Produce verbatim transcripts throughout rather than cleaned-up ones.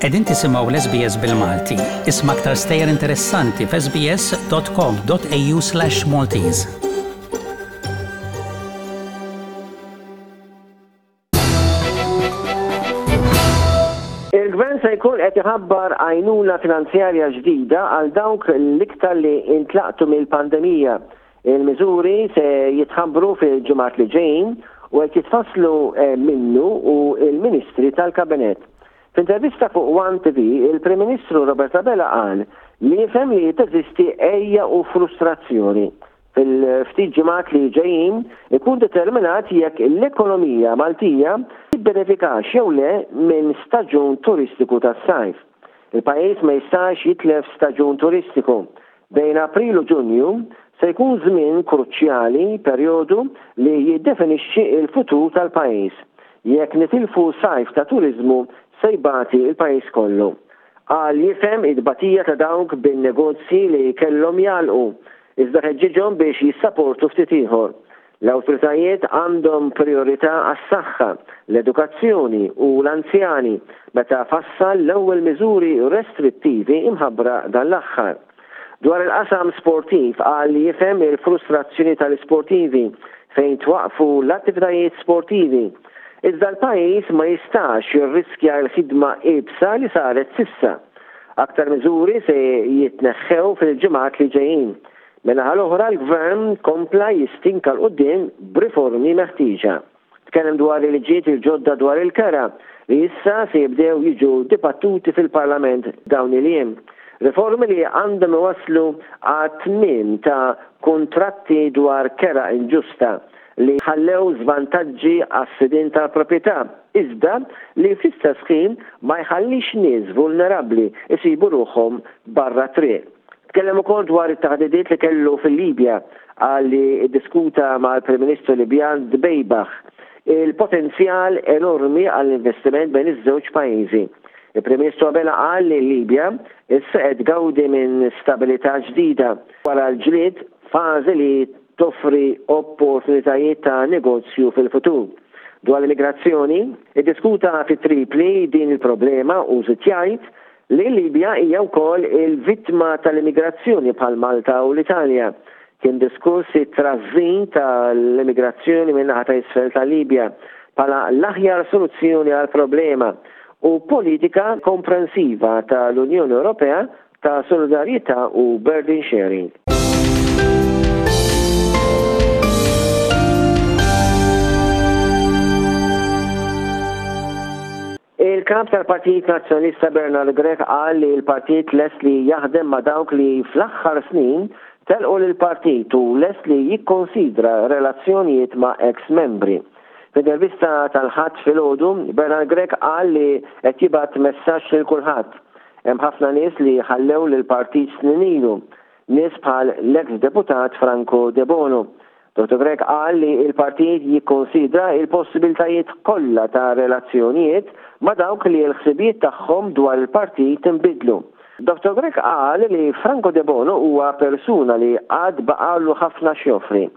Qegħdin tisimgħu l-S B S bil-Malti. Isma' aktar stejjer interessanti f'S B S dot com dot A U slash Maltese. Il-gvern se jkun qed iħabbar għajnuna finanzjarja ġdida għal dawk l-iktar li intlaqtu mill-pandemija. Il-miżuri se jitħabbru fil-ġimgħat li ġejjin u qed jitfasslu eh, minnu u il-Ministri tal-Kabinett. F'intervista fuq One T V, il-Prim Ministru Robert Abela qal li jifhem li teżisti għeja u frustrazzjoni. Fil-ftit ġimgħat li ġejjin ikun determinat jekk l-ekonomija Maltija tibbenefikax jew le minn staġun turistiku tas-sajf. Il-pajjiż ma jistax jitlef staġun turistiku. Bejn April u Ġunju se jkun żmien kruċjali, perjodu li jiddefinixxi il-futur tal-pajjiż. Jekk nitilfu sajf ta' turizmu, se jbati il-pajjiż kollu. Qal jifhem id-batija ta' dawk bin-negozji li kellhom jagħlqu, iżda ħeġġiġhom biex jissaportu ftit ieħor. L-awtoritajiet għandhom priorità għas-saħħa, l-edukazzjoni u l-anzjani meta fassal l-ewwel miżuri restrittivi imħabbra dan l-aħħar. Dwar il-qasam sportiv, qal li jifhem il-frustrazzjoni tal-sportivi fejn twaqfu l-attivitajiet sportivi. Iżda l-pajjiż ma jistax jirriskja l-ħidma iebsa li saret s'issa. Aktar miżuri se jitneħħew fil-ġimgħat li ġejjin. Min-naħa l-oħra, l-gvern kompla jistinka 'l quddiem b'riformi meħtieġa. Tkellem dwar il-liġijiet il-ġodda dwar il-kera li issa se jibdew jiġu dibattuti fil-Parlament dawn il-jiem. Riformi li għandhom iwasslu għat-tmiem ta' kontratti dwar kera inġusta li ħallew żvantaġġi għas-sidin tal-proprjetà, iżda li fl-istess ħin ma jħallix nies vulnerabbli isibu ruħhom barra triq. Tkellem ukoll dwar it-taħdidiet li kellu fil-Libja, qal li ddiskuta mal-Prim Ministru Libjan Dbeibah il-potenzjal enormi għall-investiment bejn iż-żewġ pajjiżi. Il-Prim Ministru Abela qal li Libja issa qed tgawdi minn stabilità ġdida wara l-ġlied, fażi li toffri opportunitajiet ta' negozju fil-futur. Dwar l-immigrazzjoni, iddiskuta fi Tripli din il-problema u żied jgħid li Libja hija wkoll il-vittma tal-immigrazzjoni bħal Malta u l-Italja. Kien diskuss it-trażżin tal-immigrazzjoni minn naħa ta' isfel tal-Libja bħala l-aħjar soluzzjoni għal problema u politika komprensiva tal-Unjoni Ewropea ta' solidarjetà u burden sharing. Il-kap tal-Partit Nazzjonalista Bernard Grech qal li l-partit lest li jaħdem ma' dawk li fl-aħħar snin telqu lill-partit u lest li jikkonsidra relazzjonijiet ma' ex-membri. F'intervista tal-Ħadd filgħodu, Bernard Grech qal li qed jibgħat messaġġ lil kulħadd. Hemm ħafna nies li ħallew lill-partit snin ilu, nies bħal l-ex deputat Franco Debono. Dottor Grech qal li il-partit jikkonsidra il-possibiltajiet kollha ta' relazzjonijiet ma' dawk li l-ħsibijiet tagħhom dwar il-partit inbidlu. Dottor Grech qal li Franco Debono huwa persuna li għad baqalu ħafna x'joffri.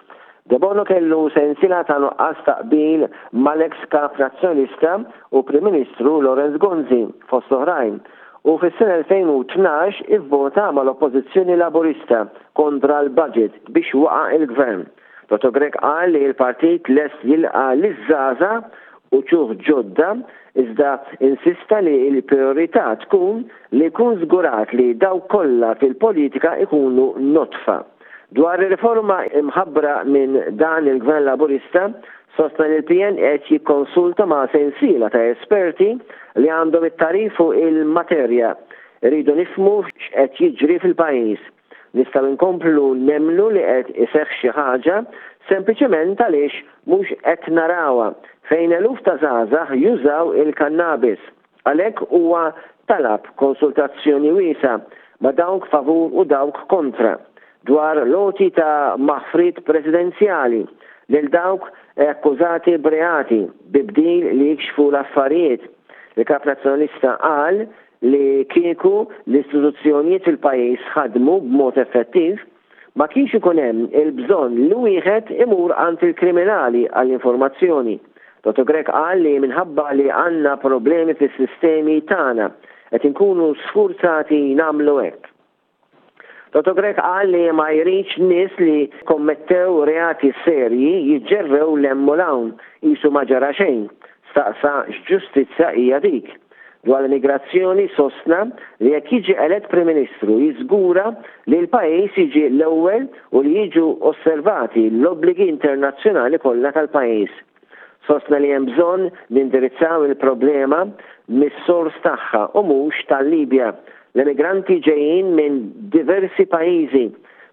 Debono kellu sensiela ta' nuqqas ta' qbil mal-ex kap nazzjonalista u Prim Ministru Lawrence Gonzi fost oħrajn, u fis-sena elfejn u tnax ivvota mal-Oppożizzjoni Laburista kontra l-budget biex waqa' il-gvern. Dottor Grech qal li l-partit lest jilqa' liż-żgħażagħ u wċuħ ġodda, iżda insista li l-priorità tkun li jkun żgurat li dawk kollha fil-politika ikunu nodfa. Dwar ir-riforma imħabbra minn dan il-Gvern Laburista, sostna li l-P N qed jikkonsulta ma' sensiela ta' esperti li għandhom it-tagħrif fuq il-materja. Iridu nifhmu x'qed jiġri fil-pajjiż. Nistgħu nkomplu nemmnu li qed iseħħ xi ħaġa sempliċement għaliex mhux qed narawha, fejn eluf ta' żgħażagħ jużaw il-kannabis. Għalhekk huwa talab konsultazzjoni wiesgħa ma' dawk favur u dawk kontra dwar l-għoti ta' maħfriet presidenzjali lil dawk akkużati b'reati bi bdil li jikxfu l-affarijiet. Il-kap nazzjonalista qal li kieku l-istituzzjonijiet fil-pajjiż ħadmu b'mod effettiv, ma kienx ikun hemm il-bżonn li wieħed imur għand il-kriminali għall-informazzjoni. Dottor Grech qal li minħabba li għandna problemi fis-sistemi tagħna, Qed inkunu sfurzati nagħmlu hekk. Dottor Grech qal li ma jridx nies li kommettew reati serji jiġġerrew 'l hemm u 'l hawn qisu ma ġara xejn. Staqsa x'ġustizzja hija dik. Dwar l-immigrazzjoni sostna li jekk jiġi elett Prim Ministru jiżgura li l-pajjiż jiġi l-ewwel u li jiġu osservati l-obbligi internazzjonali kollha tal-pajjiż. Sostna li hemm bżonn nindirizzaw il-problema mis-sors tagħha u mhux tal-Libja. L-immigranti ġejjin minn diversi pajjiżi.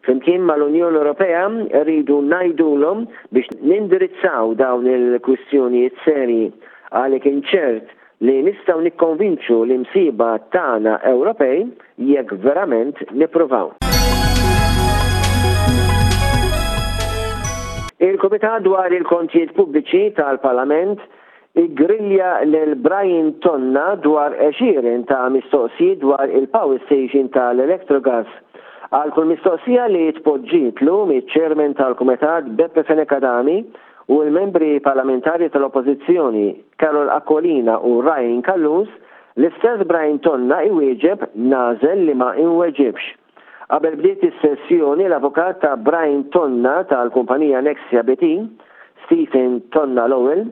Flimkien mal-Unjoni Ewropea rridu ngħidulhom biex nindirizzaw dawn il-kwistjonijiet serji. Qal li kien ċert li nistgħu nikkonvinċu l-imsieħba tagħna Ewropej jekk verament nippruvaw. Il-Kumitat dwar il-Kontijiet Pubbliċi tal-Parlament iggrilja lil Brian Tonna dwar għexieren ta' mistoqsijiet dwar il-power station tal-Electrogas. Għal kull mistoqsija li tpoġġietlu miċ-Chairman tal-Kumitat Beppe Fenech Adami u l-membri parlamentari tal-Oppożizzjoni Karol Aquilina u Ryan Callus, l-istess Brian Tonna iwieġeb nagħżel li ma inweġibx. Qabel bdiet is-sessjoni, l-avukat ta' Brian Tonna tal-kumpanija Nexia B T, Stephen Tonna Lowell,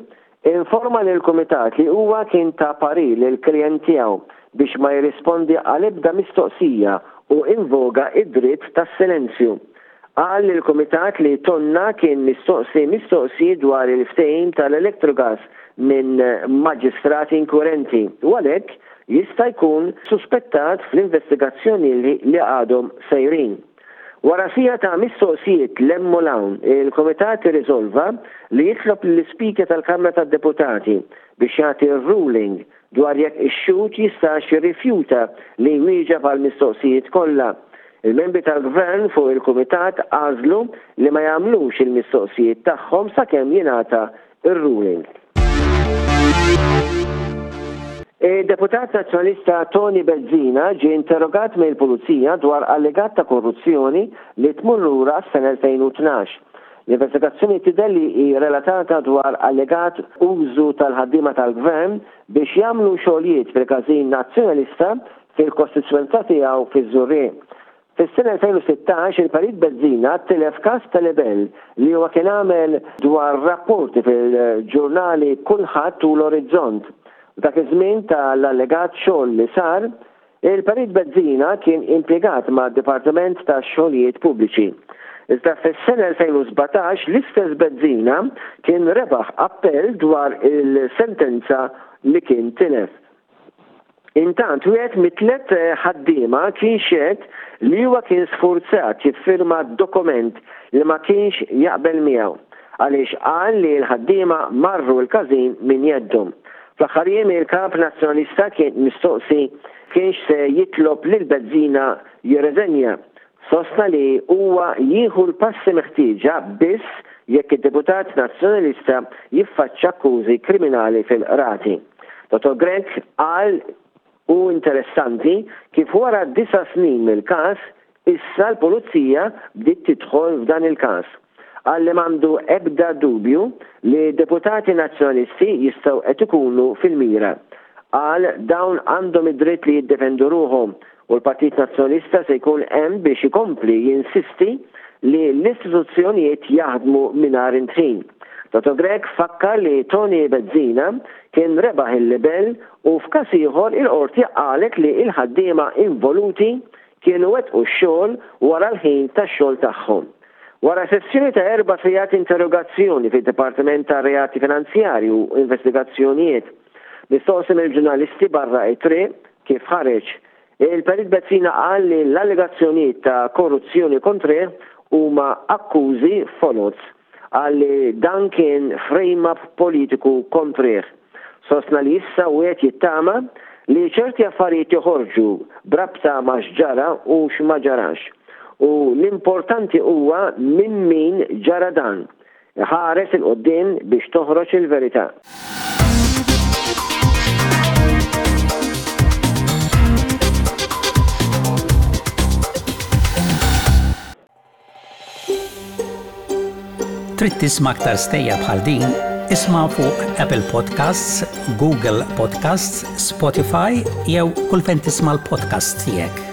informa lill-kumitat li huwa kien ta parir lill-klient tiegħu biex ma jirrispondi għal ebda mistoqsija u invoka id-dritt tas-silenzju. Qal lill-kumitat li Tonna kien mistoqsi mistoqsijiet dwar il-ftehim tal-Electrogas minn maġistrati inkwirenti u għalhekk jista' jkun suspettat fl-investigazzjoni li għadhom sejrin. Wara siegħa ta' mistoqsijiet 'l hemm u 'l hawn, il-Kumitat irriżolva li jitlob lill-Ispeaker tal-Kamra tad-Deputati biex jagħti ruling dwar jekk ix-xhud jistax jirrifjuta li jwieġeb għal mistoqsijiet kollha. Il-membri tal-Gvern fuq il-Kumitat għażlu li ma jagħmlux il-mistoqsijiet tagħhom sakemm jingħata ir-ruling. Id-deputat nazzjonalista Tony Bezzina ġie interrogat mill-Pulizija dwar allegat ta' korruzzjoni li tmur lura s-sena elfejn u tnax. L-investigazzjoni tidher li hi relatata dwar allegat użu tal-ħaddiema tal-gvern biex jagħmlu xogħlijiet fil-każin nazzjonalista fil-kostituenza tiegħu fiż-Żurrieq. Fis-sena elfejn u sittax il-Perit Bezzina tilef każ ta' libell li huwa kien għamel dwar rapporti fil-ġurnali Kulħadd u l-Orizzont. Dak iż-żmien tal-allegat xogħol li sar, il-Perit Bezzina kien impjegat ma' Dipartiment ta' Xogħlijiet Pubbliċi. Iżda fis-sena elfejn u sbatax l-istess Bezzina kien rebaħ appell dwar il-sentenza li kien tilef. Intant, wieħed mit-tlet ħaddiema kien xehed li huwa kien sfurzat jiffirma dokument li ma kienx jaqbel miegħu għaliex qal li l-ħaddiema marru l-każin minn jeddhom. Fl-aħħar jiem il-kap nazzjonalista kien mistoqsi kienx se jitlob lil Bezzina jirreżenja. Sostna li huwa jieħu l-passi meħtieġa biss jekk id-deputat nazzjonalista jiffaċċa akkużi kriminali fil-qrati. Dottor Grech qal hu interessanti kif wara disa' snin mill-każ issa l-pulizija bdiet tidħol f'dan il-każ. Qal li m'għandu ebda dubju li deputati nazzjonalisti jistgħu qed ikunu fil-mira. Qal dawn għandhom id-dritt li jiddefendu ruħhom u l-Partit Nazzjonalista se jkun hemm biex ikompli jinsisti li l-istituzzjonijiet jaħdmu mingħajr indħil. Dottor Grech fakkar li Tony Bezzina kien rebaħ il-libel u f'każ ieħor il-qorti qalet li il-ħaddiema involuti kienu wettqu x-xogħol wara l-ħin tax-xogħol tagħhom. Wara sessjoni ta' erba' sigħat interrogazzjoni fid-Dipartiment ta' Reati Finanzjari u Investigazzjonijiet, mistoqsi mill-ġurnalisti barra it-triq kif ħareġ, il-Perit Bezzina qal li l-allegazzjonijiet ta' korruzzjoni kontrih huma akkużi foloz. Qal li dan kien frame-up politiku kontrih. Sostna li issa wieħed jittama li ċerti affarijiet joħorġu b'rabta ma' x'ġara u x'ma ġarax. U l-importanti huwa minn min ġara dan. Ħares 'il quddiem biex toħroġ il-verità. Trid tisma' aktar stejjer bħal din? Isma' fuq Apple Podcasts, Google Podcasts, Spotify jew kull fejn tisma' l-podcast tiegħek.